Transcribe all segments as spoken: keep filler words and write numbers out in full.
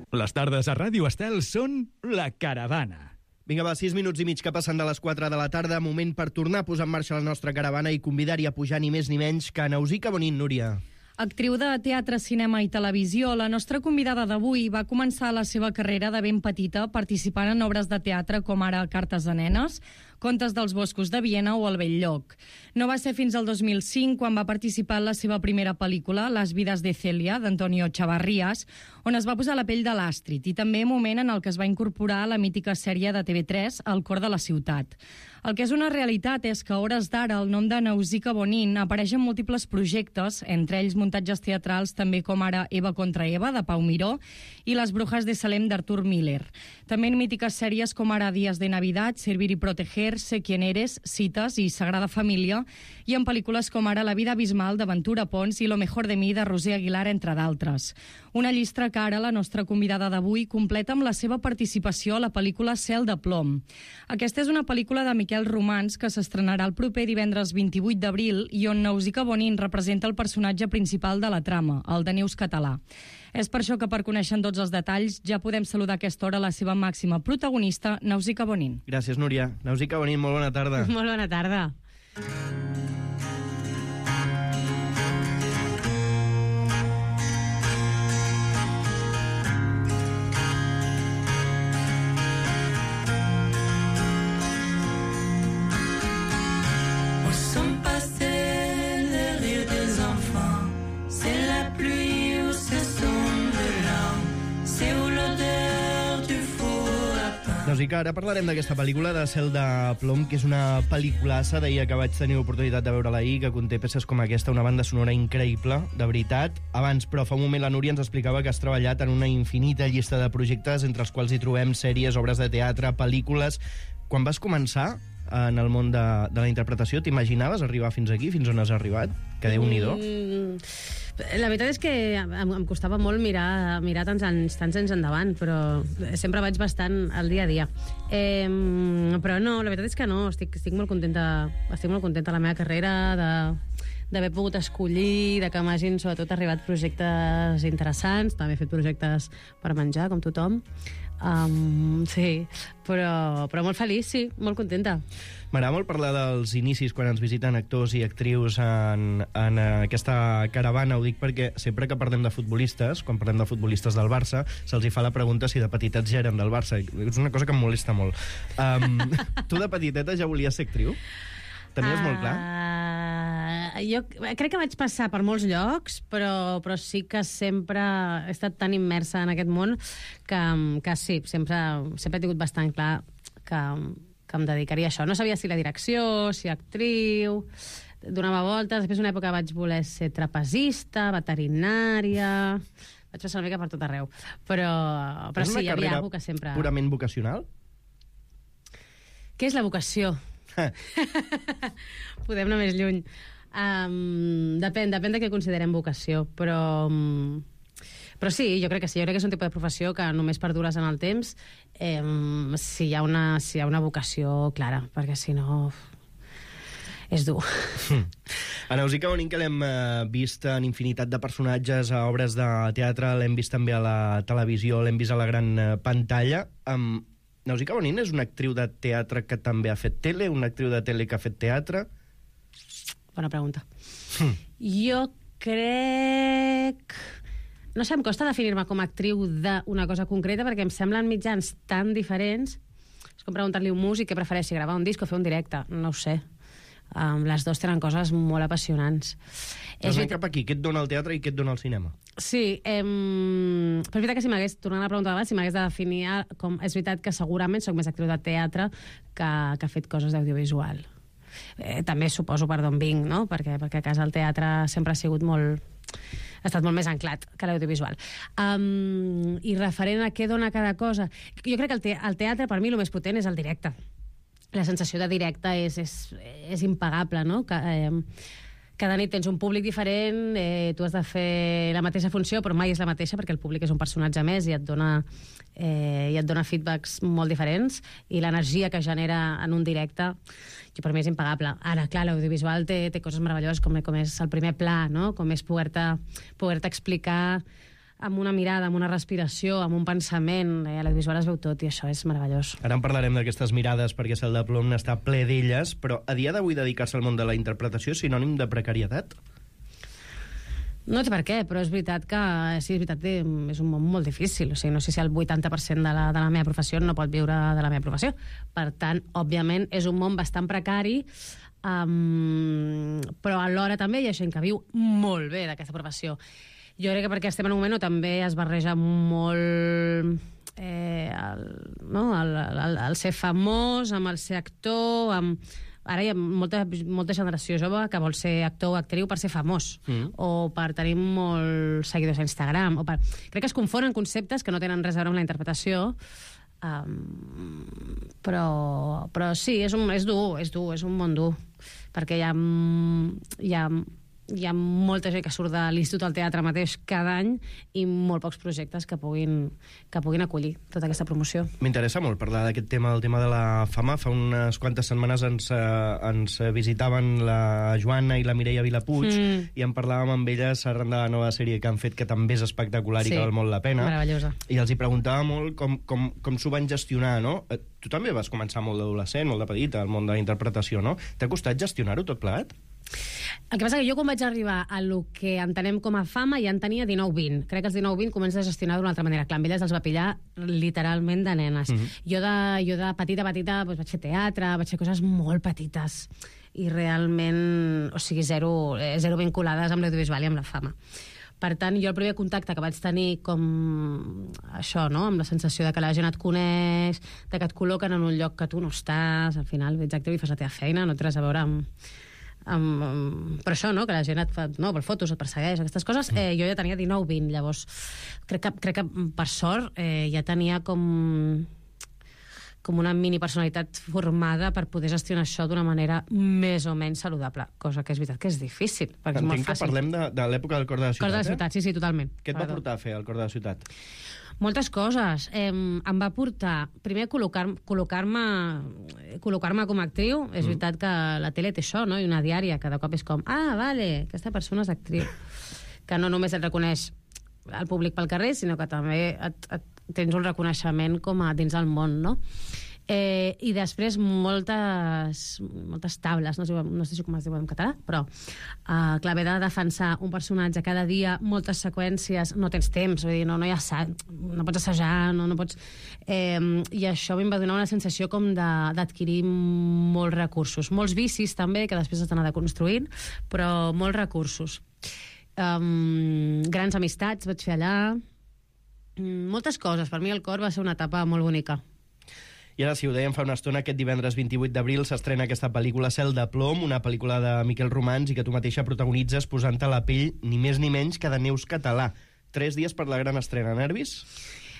Les tardes a Ràdio Estel són La Caravana. Vinga, va, sis minuts i mig que passen de les quatre de la tarda, moment per tornar a posar en marxa la nostra caravana i convidar-hi a pujar ni més ni menys que Nausica Bonin, Núria. Actriu de teatre, cinema i televisió, la nostra convidada d'avui va començar la seva carrera de ben petita participant en obres de teatre com ara Cartes de nenes, Contes dels boscos de Viena o El vell lloc. No va ser fins al dos mil cinc quan va participar en la seva primera pel·lícula, Las vidas de Celia, d'Antonio Chavarrías, on es va posar la pell de l'Astrid, i també moment en el que es va incorporar a la mítica sèrie de T V tres, El cor de la ciutat. El que és una realitat és que a hores d'ara el nom de Nausica Bonin apareix en múltiples projectes, entre ells muntatges teatrals també com ara Eva contra Eva, de Pau Miró, i Les brujas de Salem, d'Artur Miller. També en mítiques sèries com ara Días de Navidad, Servir y proteger, Sé quién eres, Cites i Sagrada Família, i en pel·lícules com ara La vida abismal, de Ventura Pons, i Lo mejor de mi, de Roser Aguilar, entre d'altres. Una llista que ara la nostra convidada d'avui completa amb la seva participació a la pel·lícula Cel de plom. Aquesta és una pel·lícula de Miquel Romans que s'estrenarà el proper divendres vint-i-vuit d'abril i on Nausica Bonin representa el personatge principal de la trama, el de Neus Català. És per això que, per conèixer tots els detalls, ja podem saludar a aquesta hora la seva màxima protagonista, Nausica Bonin. Gràcies, Núria. Nausica Bonin, molt bona tarda. Molt bona tarda. Nausica, ara parlarem d'aquesta pel·lícula de Cel de plom, que és una pel·lículassa, deia que vaig tenir l'oportunitat de veure-la ahir, que conté peces com aquesta, una banda sonora increïble, de veritat. Abans, però, fa un moment la Núria ens explicava que has treballat en una infinita llista de projectes, entre els quals hi trobem sèries, obres de teatre, pel·lícules. Quan vas començar en el món de, de la interpretació, t'imaginaves arribar fins aquí, fins on has arribat? Que Déu-n'hi-do. Mm, la veritat és que em, em costava molt mirar, mirar tants anys, tants anys endavant, però sempre vaig bastant al dia a dia. Eh, però no, la veritat és que no, estic, estic molt contenta, estic molt contenta de la meva carrera, de d'haver pogut escollir, de que m'hagin sobretot arribat projectes interessants, també he fet projectes per menjar, com tothom. Um, sí, però, però molt feliç, sí, molt contenta. M'agrada molt parlar dels inicis quan ens visiten actors i actrius en, en aquesta caravana. Ho dic perquè sempre que parlem de futbolistes, quan parlem de futbolistes del Barça, se'ls hi fa la pregunta si de petitets ja eren del Barça. És una cosa que em molesta molt. Um, tu de petiteta ja volies ser actriu? Tenies uh, molt clar? Jo crec que vaig passar per molts llocs, però, però sí que sempre he estat tan immersa en aquest món que, que sí, sempre, sempre he tingut bastant clar que, que em dedicaria a això. No sabia si la direcció, si actriu, donava voltes. Després d'una època vaig voler ser trapezista, veterinària... Vaig passar una mica per tot arreu. Però, però sí, hi havia alguna que sempre... Purament vocacional? Què és la vocació? Podem anar més lluny. Um, depèn, depèn de què considerem vocació, però, um, però sí, jo crec que sí, jo crec que és un tipus de professió que només perdures en el temps um, si, hi ha una, si hi ha una vocació clara, perquè si no és dur. A Nausica Bonin, que l'hem uh, vist en infinitat de personatges a obres de teatre, l'hem vist també a la televisió, l'hem vist a la gran uh, pantalla. um, Nausica Bonin és una actriu de teatre que també ha fet tele, una actriu de tele que ha fet teatre? Bona pregunta. Mm. Jo crec... No sé, em costa definir-me com a actriu d'una cosa concreta perquè em semblen mitjans tan diferents. És com preguntar-li a un músic què prefereixi, gravar un disc o fer un directe. No ho sé. Um, les dues tenen coses molt apassionants. És veritat... cap aquí, què et dona el teatre i què et dona el cinema? Sí, em... però és veritat que si m'hagués, tornant a la pregunta d'abans, si m'hagués de definir com... És veritat que segurament soc més actriu de teatre que, que ha fet coses d'audiovisual. Eh, també suposo per d'on vinc, no? Perquè, perquè a casa el teatre sempre ha sigut molt... ha estat molt més anclat que l'audiovisual. Um, I referent a què dona cada cosa... Jo crec que el, te el teatre, per mi, el més potent és el directe. La sensació de directe és, és, és impagable, no? Que, eh, cada nit tens un públic diferent, eh, tu has de fer la mateixa funció, però mai és la mateixa perquè el públic és un personatge més i et dona, eh, i et dona feedbacks molt diferents, i l'energia que genera en un directe, jo per mi és impagable. Ara, clar, l'audiovisual té, té coses meravelloses com, com és el primer pla, no? Com és poder-te poder-te explicar amb una mirada, amb una respiració, amb un pensament. Eh, a l'audiovisual es veu tot i això és meravellós. Ara en parlarem d'aquestes mirades perquè Cel de plom n'està ple d'elles, però a dia d'avui dedicar-se al món de la interpretació és sinònim de precarietat? No sé per què, però és veritat que sí, és veritat que és un món molt difícil. O sigui, no sé si el vuitanta per cent de la, de la meva professió no pot viure de la meva professió. Per tant, òbviament, és un món bastant precari, um, però alhora també hi ha gent que viu molt bé d'aquesta professió. Jo crec que perquè estem en un moment on també es barreja molt eh, el, no? el, el, el ser famós, amb el ser actor, amb... Ara hi ha molta, molta generació jove que vol ser actor o actriu per ser famós, mm. o per tenir molts seguidors a Instagram. O per... Crec que es confonen conceptes que no tenen res a veure amb la interpretació, um, però, però sí, és, un, és dur, és dur, és un món dur, perquè hi ha, hi ha, hi ha molta gent que surt de l'Institut del Teatre mateix cada any i molt pocs projectes que puguin, que puguin acollir tota aquesta promoció. M'interessa molt parlar d'aquest tema, el tema de la fama. Fa unes quantes setmanes ens, eh, ens visitaven la Joana i la Mireia Vilapuig mm. i en parlàvem amb elles arran de la nova sèrie que han fet, que també és espectacular sí, i que val molt la pena. Meravellosa. I els hi preguntava molt com, com, com s'ho van gestionar, no? Tu també vas començar molt d'adolescent, molt de petita, al món de la interpretació, no? T'ha costat gestionar-ho tot plegat? El que passa que jo quan vaig arribar a lo que entenem com a fama ja en tenia dinou vint. Crec que els dinou vint comences a gestionar d'una altra manera. Clar, amb elles els va pillar literalment de nenes. Mm-hmm. Jo, de, jo de petita, petita, doncs vaig fer teatre, vaig fer coses molt petites i realment, o sigui, zero, zero vinculades amb l'audiovisual i amb la fama. Per tant, jo el primer contacte que vaig tenir com això, no?, amb la sensació de que la gent et coneix, de que et col·loquen en un lloc que tu no estàs, al final ets actiu i fas la teva feina, no té res a veure amb... amb, amb però això, no?, que la gent et fa, no, per fotos, et persegueix, aquestes coses, eh, jo ja tenia dinou vint, llavors crec que, crec que per sort eh, ja tenia com com una mini personalitat formada per poder gestionar això d'una manera més o menys saludable, cosa que és veritat que és difícil, perquè Entenc és molt fàcil. que parlem de, de l'època del Cor de la Ciutat, Cor de la Ciutat, eh? sí, sí, totalment. Què et va portar a fer el Cor de la Ciutat? Moltes coses. Eh, em va portar, primer, col·locar-me col·locar-me col·locar-me com a actriu. És mm. veritat que la tele té això, no?, i una diària, cada cop és com, ah, vale, aquesta persona és actriu. Que no només et reconeix el públic pel carrer, sinó que també et, et, tens un reconeixement com a dins del món, no? Eh, I després moltes, moltes taules, no sé, no sé com es diu en català, però uh, clar, haver de defensar un personatge cada dia, moltes seqüències, no tens temps, vull dir, no, no hi ha assaig, no pots assajar, no, no pots... Eh, I això a mi em va donar una sensació com d'adquirir molts recursos, molts vicis també, que després has d'anar deconstruint, però molts recursos. Um, grans amistats vaig fer allà, moltes coses. Per mi el Cor va ser una etapa molt bonica. I ara, si ho dèiem fa una estona, aquest divendres vint-i-vuit d'abril s'estrena aquesta pel·lícula Cel de plom, una pel·lícula de Miquel Romans i que tu mateixa protagonitzes posant-te a la pell ni més ni menys que de Neus Català. Tres dies per la gran estrena. Nervis?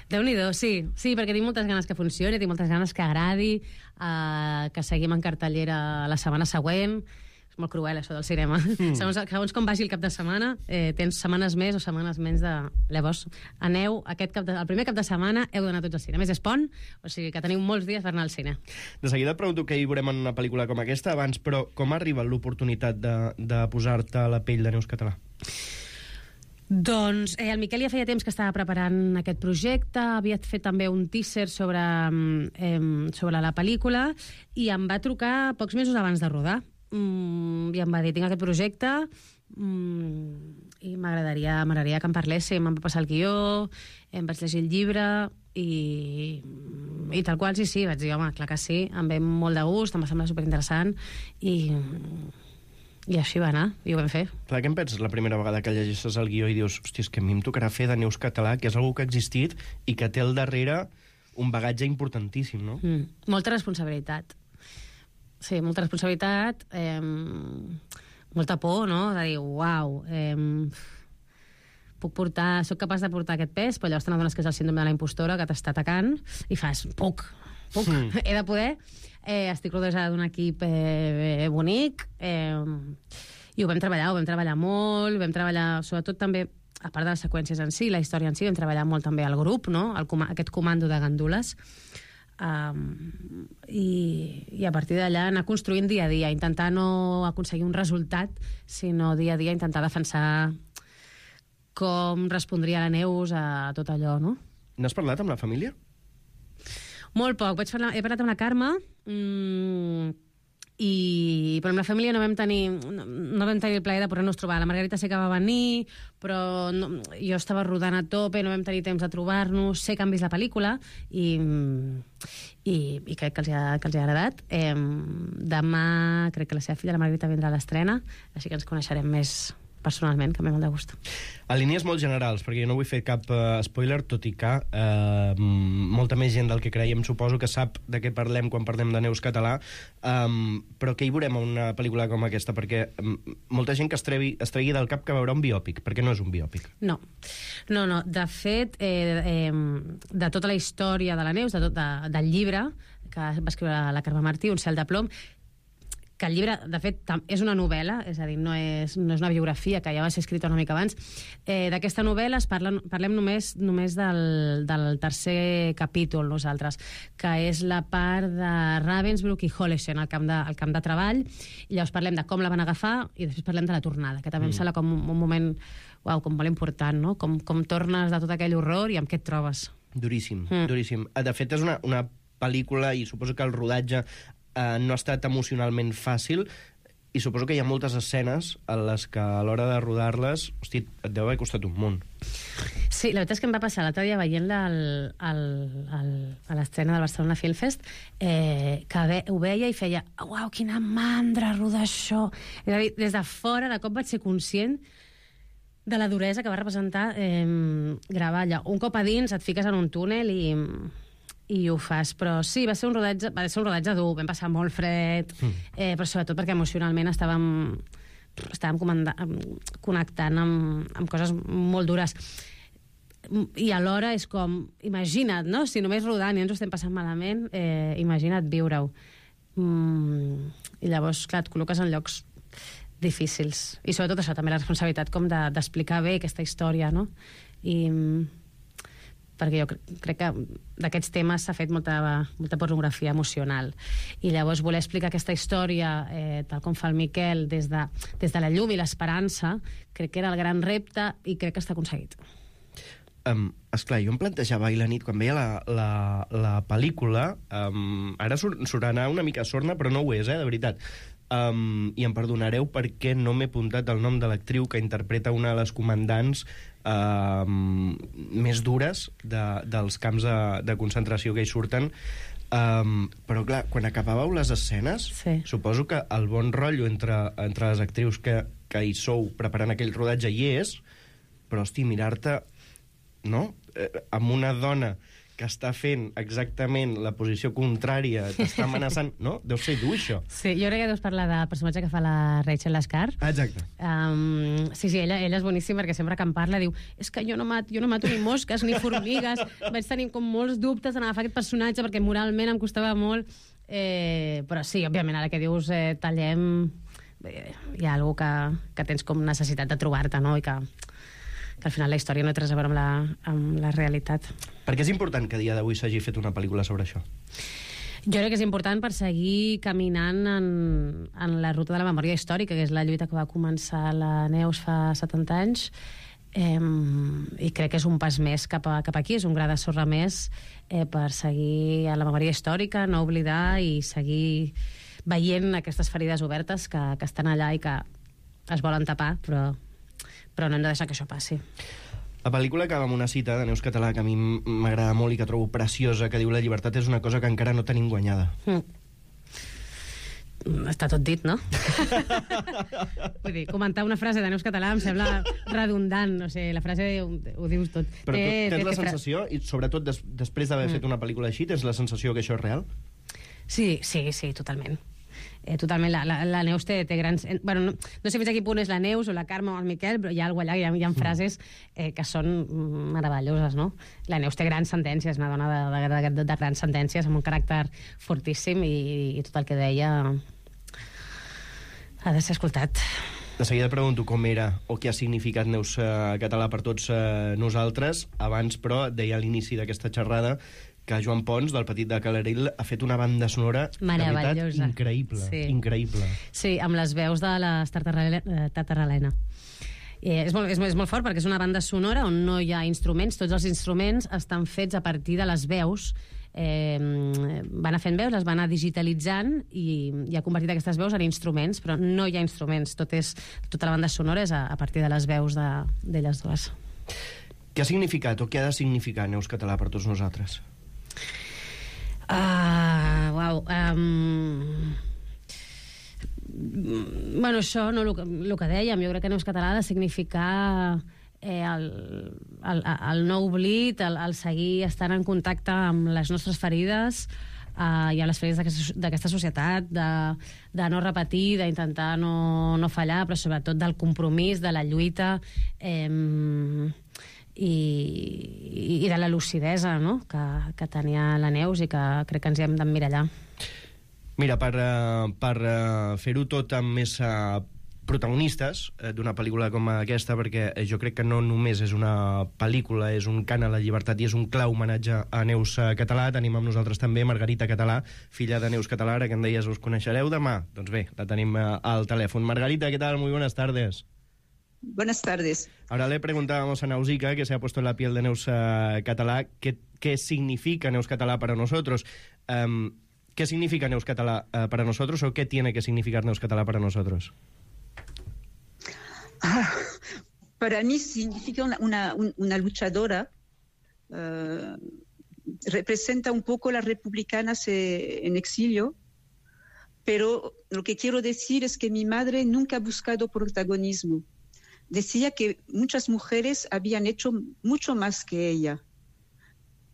Déu-n'hi-do, sí. Sí, perquè tinc moltes ganes que funcioni, tinc moltes ganes que agradi, eh, que seguim en cartellera la setmana següent. És molt cruel, això del cinema. Mm. Segons, segons com vagi el cap de setmana, eh, tens setmanes més o setmanes menys de... Llavors, aneu, aquest cap de... el primer cap de setmana heu d'anar tots al cine. A més, és pont, o sigui que teniu molts dies per anar al cine. De seguida et pregunto què hi veurem en una pel·lícula com aquesta abans, però com arriba l'oportunitat de, de posar-te a la pell de Neus Català? Doncs eh, el Miquel ja feia temps que estava preparant aquest projecte, havia fet també un teaser sobre, eh, sobre la pel·lícula i em va trucar pocs mesos abans de rodar. Mm, i em va dir, tinc aquest projecte mm, i m'agradaria m'agradaria que em parléssim, em va passar el guió, em vaig llegir el llibre i, i tal qual, sí, sí, vaig dir, home, clar que sí, em ve molt de gust, em va semblar superinteressant i, i així va anar, i ho vam fer. Clar, què em penses la primera vegada que llegeixes el guió i dius, hòstia, és que a mi em tocarà fer de Neus Català, que és algú que ha existit i que té al darrere un bagatge importantíssim, no? Mm, molta responsabilitat. Sí, molta responsabilitat, eh, molta por, no?, de dir, uau, eh, puc portar, soc capaç de portar aquest pes, però llavors te n'adones que és el síndrome de la impostora que t'està atacant i fas, puc, puc, mm. he de poder, eh, estic rodejada d'un equip eh, bonic, eh, i ho vam treballar, ho vam treballar molt, vam treballar, sobretot també, a part de les seqüències en si, la història en si, vam treballar molt també al grup, no?, el com aquest comando de gandules, Um, i, i a partir d'allà anar construint dia a dia, intentar no aconseguir un resultat, sinó dia a dia intentar defensar com respondria la Neus a tot allò, no? N'has parlat amb la família? Molt poc. Vaig parlar, he parlat amb la Carme, mmm, i però amb la família no vam tenir no, no vam tenir el plaer de poder-nos trobar. La Margarita sé que va venir, però no, jo estava rodant a tope, no vam tenir temps de trobar-nos. Sé que han vist la pel·lícula i, i, i crec que els, ha, que els ha agradat. Eh, demà crec que la seva filla, la Margarita, vindrà a l'estrena, així que ens coneixerem més personalment, que m'he molt de gust. A línies molt generals, perquè jo no vull fer cap uh, spoiler, tot i que uh, molta més gent del que creiem suposo que sap de què parlem quan parlem de Neus Català, um, però què hi veurem a una pel·lícula com aquesta? Perquè um, molta gent que es, trevi, es tregui del cap que veurà un biòpic, perquè no és un biòpic. No, no, no. De fet, eh, eh, de tota la història de la Neus, de tot, de, del llibre que va escriure la Carme Martí, Un cel de plom, que el llibre, de fet, és una novel·la, és a dir, no és, no és una biografia, que ja va ser escrita una mica abans. Eh, D'aquesta novel·la es parla, parlem només, només del, del tercer capítol, nosaltres, que és la part de Ravensbrück i Hollesen, al camp de, al camp de treball, i llavors parlem de com la van agafar i després parlem de la tornada, que també mm. em sembla com un, un moment uau, com molt important, no? Com, com tornes de tot aquell horror i amb què et trobes. Duríssim, mm. duríssim. De fet, és una, una pel·lícula, i suposo que el rodatge Uh, no ha estat emocionalment fàcil, i suposo que hi ha moltes escenes en les que a l'hora de rodar-les, hosti, et deu haver costat un munt. Sí, la veritat és que em va passar l'altre dia veient-la al, al, al, a l'estrena del Barcelona Film Fest, eh, que ve, ho veia i feia uau, quina mandra rodar això. És a dir, des de fora, de cop vaig ser conscient de la duresa que va representar eh, gravar allà. Un cop a dins et fiques en un túnel i... i ho fas, però sí, va ser un rodatge, va ser un rodatge dur, vam passar molt fred, mm. eh, però sobretot perquè emocionalment estàvem, estàvem connectant amb, amb coses molt dures. I alhora és com, imagina't, no? Si només rodant i ens ho estem passant malament, eh, imagina't viure-ho. Mm, I llavors, clar, et col·loques en llocs difícils. I sobretot això, també la responsabilitat com de, d'explicar bé aquesta història, no? I... perquè jo crec que d'aquests temes s'ha fet molta, molta pornografia emocional. I llavors voler explicar aquesta història, eh, tal com fa el Miquel, des de, des de la llum i l'esperança, crec que era el gran repte i crec que està aconseguit. Um, esclar, jo em plantejava ahir la nit, quan veia la, la, la pel·lícula, um, ara sonarà una mica sorna, però no ho és, eh, de veritat. Um, i em perdonareu perquè no m'he apuntat el nom de l'actriu que interpreta una de les comandants um, més dures de, dels camps de, de concentració que hi surten. Um, però clar, quan acabàveu les escenes, sí. Suposo que el bon rotllo entre, entre les actrius que, que hi sou preparant aquell rodatge hi és, però hosti, mirar-te, no? Eh, amb una dona que està fent exactament la posició contrària, t'està amenaçant... No? Deu ser dur, això. Sí, jo crec que deus parlar del personatge que fa la Rachel Lascar. Ah, exacte. Um, sí, sí, ella, ella és boníssima perquè sempre que em parla diu és que jo no mato, jo no mato ni mosques ni formigues. Vaig tenir com molts dubtes en agafar aquest personatge perquè moralment em costava molt. Eh, però sí, òbviament, ara que dius eh, tallem... Eh, hi ha algú que, que tens com necessitat de trobar-te, no? I que... que al final la història no té res a veure amb la, amb la realitat. Per què és important que a dia d'avui s'hagi fet una pel·lícula sobre això? Jo crec que és important per seguir caminant en, en la ruta de la memòria històrica, que és la lluita que va començar la Neus fa setanta anys, eh, i crec que és un pas més cap, a, cap aquí, és un gra de sorra més eh, per seguir a la memòria històrica, no oblidar i seguir veient aquestes ferides obertes que, que estan allà i que es volen tapar, però... però no hem de deixar que això passi. La pel·lícula acaba amb una cita de Neus Català que a mi m'agrada molt i que trobo preciosa, que diu: la llibertat és una cosa que encara no tenim guanyada. Mm. Està tot dit, no? Vull dir, comentar una frase de Neus Català em sembla redundant, no sé, la frase ho, ho dius tot. Però tu eh, tens la sensació, fra... i sobretot des, després d'haver mm. fet una pel·lícula així, tens la sensació que això és real? Sí, sí, sí, totalment. Eh, totalment, la, la, la Neus té, té grans... Eh, bueno, no, no sé fins a quin punt és la Neus o la Carme o el Miquel, però hi ha alguna allà, hi ha, hi ha frases eh, que són meravelloses, no? La Neus té grans sentències, una dona de, de, de, de, de grans sentències, amb un caràcter fortíssim, i, i tot el que deia ha de ser escoltat. De seguida pregunto com era o què ha significat Neus eh, Català per tots eh, nosaltres. Abans, però, deia a l'inici d'aquesta xerrada que Joan Pons, del Petit de Calarill, ha fet una banda sonora de veritat increïble. Sí. Increïble. Sí, amb les veus de les Tartarelena. Eh, és, molt, és, és molt fort perquè és una banda sonora on no hi ha instruments, tots els instruments estan fets a partir de les veus. Eh, van anar fent veus, les van anar digitalitzant i, i ha convertit aquestes veus en instruments, però no hi ha instruments, tot és, tota la banda sonora és a, a partir de les veus d'elles de, dues. Què ha significat o què ha de significar Neus Català per tots nosaltres? Uh, uau, um... bueno, això, no, el, el que dèiem, jo crec que Neus Català ha de significar eh, el, el, el no oblit, el, el seguir estant en contacte amb les nostres ferides eh, i amb les ferides d'aquesta societat, de, de no repetir, d'intentar no, no fallar, però sobretot del compromís, de la lluita eh, i, i de la lucidesa, no?, que, que tenia la Neus i que crec que ens hi hem d'emmirallar. Mira, per, uh, per uh, fer-ho tot amb més uh, protagonistes uh, d'una pel·lícula com aquesta, perquè jo crec que no només és una pel·lícula, és un cant a la llibertat i és un clar homenatge a Neus Català. Tenim amb nosaltres també Margarita Català, filla de Neus Català, que em deies us coneixereu demà. Doncs bé, la tenim uh, al telèfon. Margarita, ¿qué tal? Muy buenas tardes. Buenas tardes. Ahora le preguntábamos a Nausica, que se ha puesto en la piel de Neus uh, Català, ¿qué, qué significa Neus Català para nosotros? Um, ¿Qué significa Neus Català uh, para nosotros o qué tiene que significar Neus Català para nosotros? Ah, para mí significa una, una, una luchadora, uh, representa un poco las republicanas eh, en exilio, pero lo que quiero decir es que mi madre nunca ha buscado protagonismo. Decía que muchas mujeres habían hecho mucho más que ella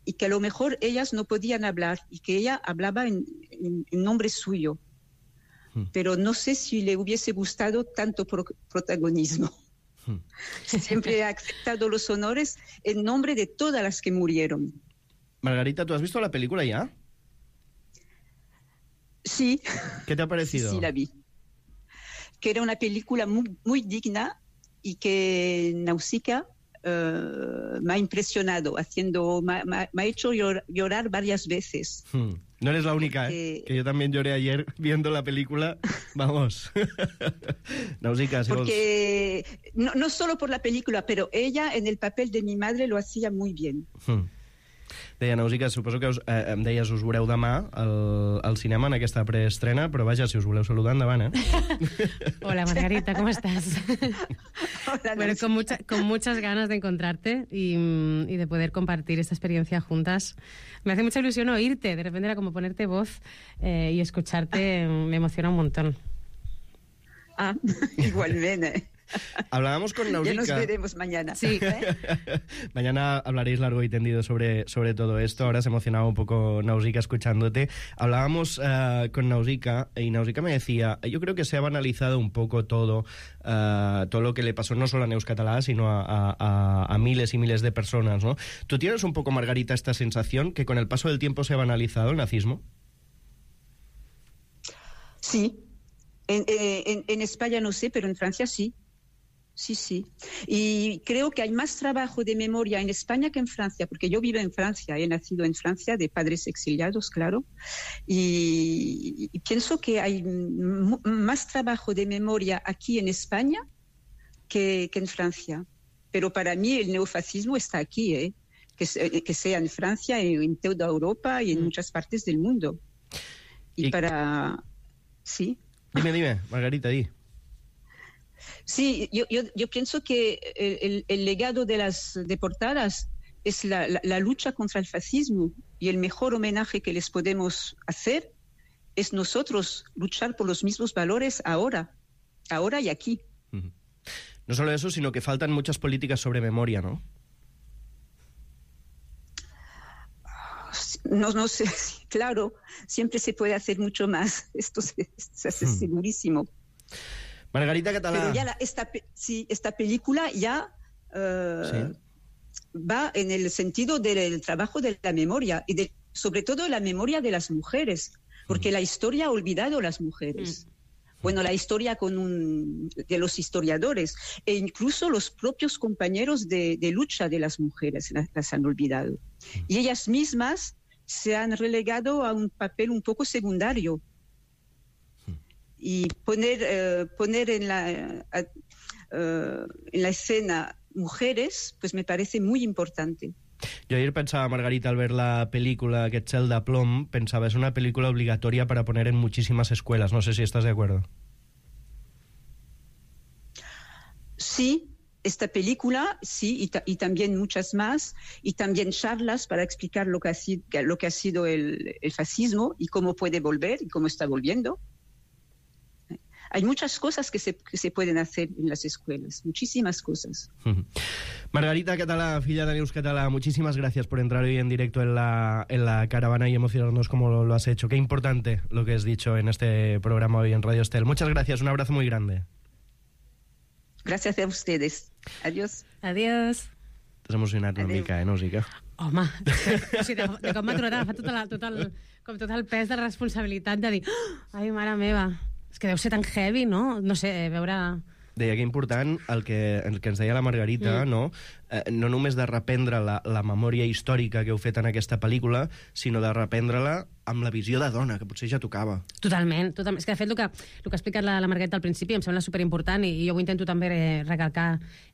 y que a lo mejor ellas no podían hablar y que ella hablaba en, en, en nombre suyo. Hmm. Pero no sé si le hubiese gustado tanto pro protagonismo. Hmm. Siempre ha aceptado los honores en nombre de todas las que murieron. Margarita, ¿tú has visto la película ya? Sí. ¿Qué te ha parecido? Sí, sí, la vi. Que era una película muy, muy digna y que Nausica uh, me ha impresionado, haciendo, me, me, me ha hecho llor, llorar varias veces. Hmm. No eres la única, ¿eh? Que... que yo también lloré ayer viendo la película. Vamos. Nausica, si Porque vos... no, no solo por la película, pero ella en el papel de mi madre lo hacía muy bien. Hmm. Deia Nausica, suposo que us, eh, em deies us veureu demà al, al cinema en aquesta preestrena, però vaja, si us voleu saludar, endavant, eh? Hola, Margarita, ¿cómo estás? Hola, bueno, con, mucha, con muchas ganas de encontrarte y, y de poder compartir esta experiencia juntas. Me hace mucha ilusión oírte, de repente era como ponerte voz eh, y escucharte, me emociona un montón. Ah, igualmente. Hablábamos con Nausica. Ya nos veremos mañana. Sí. ¿Eh? Mañana hablaréis largo y tendido sobre, sobre todo esto. Ahora se emocionaba un poco Nausica escuchándote. Hablábamos uh, con Nausica y Nausica me decía, yo creo que se ha banalizado un poco todo, uh, todo lo que le pasó no solo a Neus Català, sino a, a, a miles y miles de personas, ¿no? ¿Tú tienes un poco, Margarita, esta sensación que con el paso del tiempo se ha banalizado el nazismo? Sí. En, en, en España no sé, pero en Francia sí. Sí, sí. Y creo que hay más trabajo de memoria en España que en Francia, porque yo vivo en Francia, he nacido en Francia, de padres exiliados, claro, y, y pienso que hay más trabajo de memoria aquí en España que, que en Francia. Pero para mí el neofascismo está aquí, ¿eh? que, que sea en Francia, en toda Europa y en muchas partes del mundo. Y, y... para... Sí. Dime, dime, Margarita, di. Sí, yo, yo, yo pienso que el, el legado de las deportadas es la, la, la lucha contra el fascismo y el mejor homenaje que les podemos hacer es nosotros luchar por los mismos valores ahora, ahora y aquí. Uh-huh. No solo eso, sino que faltan muchas políticas sobre memoria, ¿no? No, no sé, claro, siempre se puede hacer mucho más, esto se, se hace uh-huh. segurísimo. Margarita Català. Pero ya la, esta, sí, esta película ya uh, ¿Sí? va en el sentido del trabajo de la memoria y de, sobre todo la memoria de las mujeres, porque mm. la historia ha olvidado a las mujeres. Mm. Bueno, la historia con un, de los historiadores e incluso los propios compañeros de, de lucha de las mujeres las, las han olvidado. Mm. Y ellas mismas se han relegado a un papel un poco secundario. Y poner, eh, poner en la, a, uh, en la escena mujeres, pues me parece muy importante. Yo ayer pensaba, Margarita, al ver la película, aquest cel de plom, pensaba, es una película obligatoria para poner en muchísimas escuelas. No sé si estás de acuerdo. Sí, esta película, sí, y, ta y también muchas más, y también charlas para explicar lo que ha sido, lo que ha sido el, el fascismo y cómo puede volver y cómo está volviendo. Hay muchas cosas que se, que se pueden hacer en las escuelas, muchísimas cosas. Margarita Catalá, filla de Neus Catalá, muchísimas gracias por entrar hoy en directo en la, en la caravana y emocionarnos como lo, lo has hecho. Qué importante lo que has dicho en este programa hoy en Radio Estel. Muchas gracias, un abrazo muy grande. Gracias a ustedes. Adiós. Adiós. T'has emocionat una Adéu. mica, eh, no, Zica? Home, o sigui, de, de com m'ha tornat a agafar tot, la, tot, el, com tot el pes de la responsabilitat de dir oh, ai, mare meva, és que deu ser tan heavy, no? No sé, veure... Deia que important el que, el que ens deia la Margarita, mm. no? Eh, no només de reprendre la, la memòria històrica que heu fet en aquesta pel·lícula, sinó de reprendre-la amb la visió de dona, que potser ja tocava. Totalment, totalment. És que, de fet, el que, el que ha explicat la, la Margarita al principi em sembla superimportant i, i jo ho intento també eh, recalcar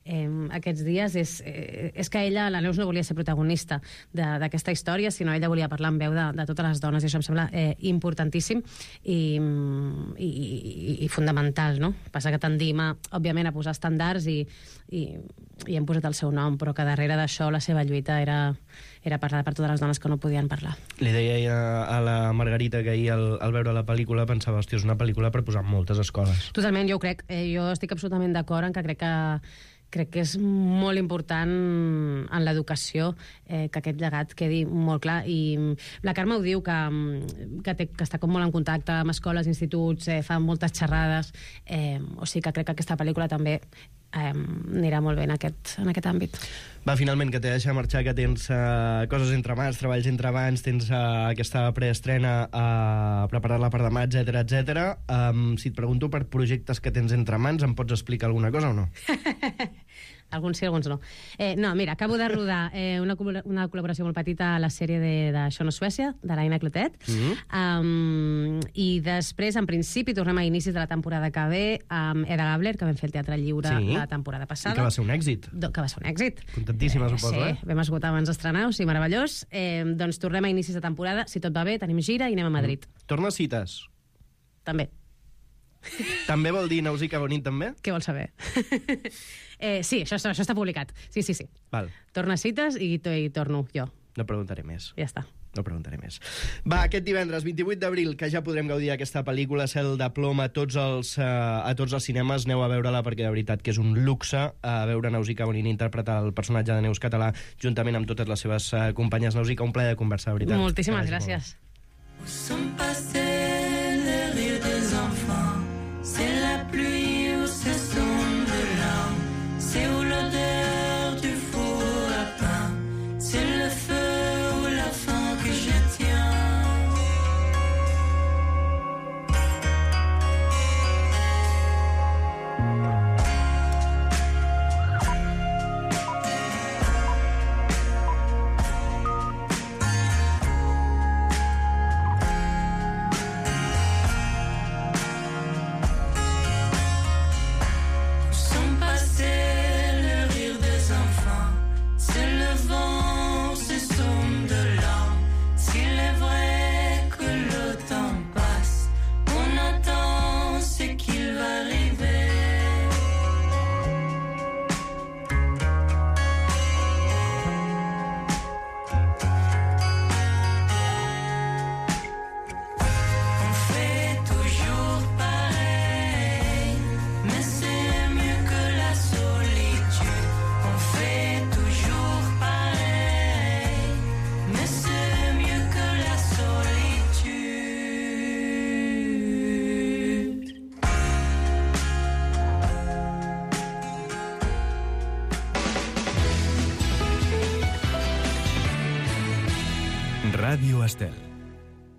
eh, aquests dies, és, eh, és que ella, la Neus, no volia ser protagonista d'aquesta història, sinó ella volia parlar en veu de, de totes les dones, i això em sembla eh, importantíssim i, i, i, i fundamental, no? Passa que tendim, a, òbviament, a posar estàndards i, i, i hem posat el seu nom, però que darrere d'això la seva lluita era, era parlar per totes les dones que no podien parlar. Li deia a la Margarita que ahir al, al veure la pel·lícula pensava, hòstia, és una pel·lícula per posar en moltes escoles. Totalment, jo ho crec. Eh, jo estic absolutament d'acord en que crec que crec que és molt important en l'educació eh, que aquest llegat quedi molt clar. I la Carme ho diu, que, que, té, que està com molt en contacte amb escoles, instituts, eh, fa moltes xerrades, eh, o sigui que crec que aquesta pel·lícula també eh, anirà molt bé en aquest, en aquest àmbit. Va, finalment, que t'he de deixar marxar, que tens uh, coses entre mans, treballs entre mans, tens uh, aquesta preestrena a uh, preparar-la per demà, etcètera, etcètera. Um, si et pregunto per projectes que tens entre mans, em pots explicar alguna cosa o no? Alguns sí, alguns no. Eh, no, mira, acabo de rodar eh, una, una col·laboració molt petita a la sèrie de, de Això no és Suècia, de l'Aina Clotet. Mm-hmm. um, I després, en principi, tornem a inicis de la temporada que ve amb Eda Gabler, que vam fer el Teatre Lliure sí. la temporada passada. I que va ser un èxit. Do, que va ser un èxit. Contentíssima, eh, suposo, sí, eh? Vam esgotar abans d'estrenar, o sigui, meravellós. Eh, doncs tornem a inicis de temporada, si tot va bé, tenim gira i anem a Madrid. Mm. Torna cites. També. També vol dir Nausica Bonin, també? Què vols saber? eh, sí, això, això està publicat. Sí, sí, sí. Val. Torna cites i, i torno jo. No preguntaré més. Ja està. No preguntaré més. Va, aquest divendres, vint-i-vuit d'abril, que ja podrem gaudir d'aquesta pel·lícula Cel de plom a tots els, uh, a tots els cinemes. Aneu a veure-la perquè de veritat que és un luxe a veure Nausica Bonin interpretar el personatge de Neus Català juntament amb totes les seves uh, companyes. Nausica, un plaer de conversar, de veritat. Moltíssimes gràcies. Où sont passés les rires des enfants? C'est la pluie ou ce sont de larmes? C'est où l'odeur du four à pain? C'est le feu ou la faim que je tiens? Ràdio Estel.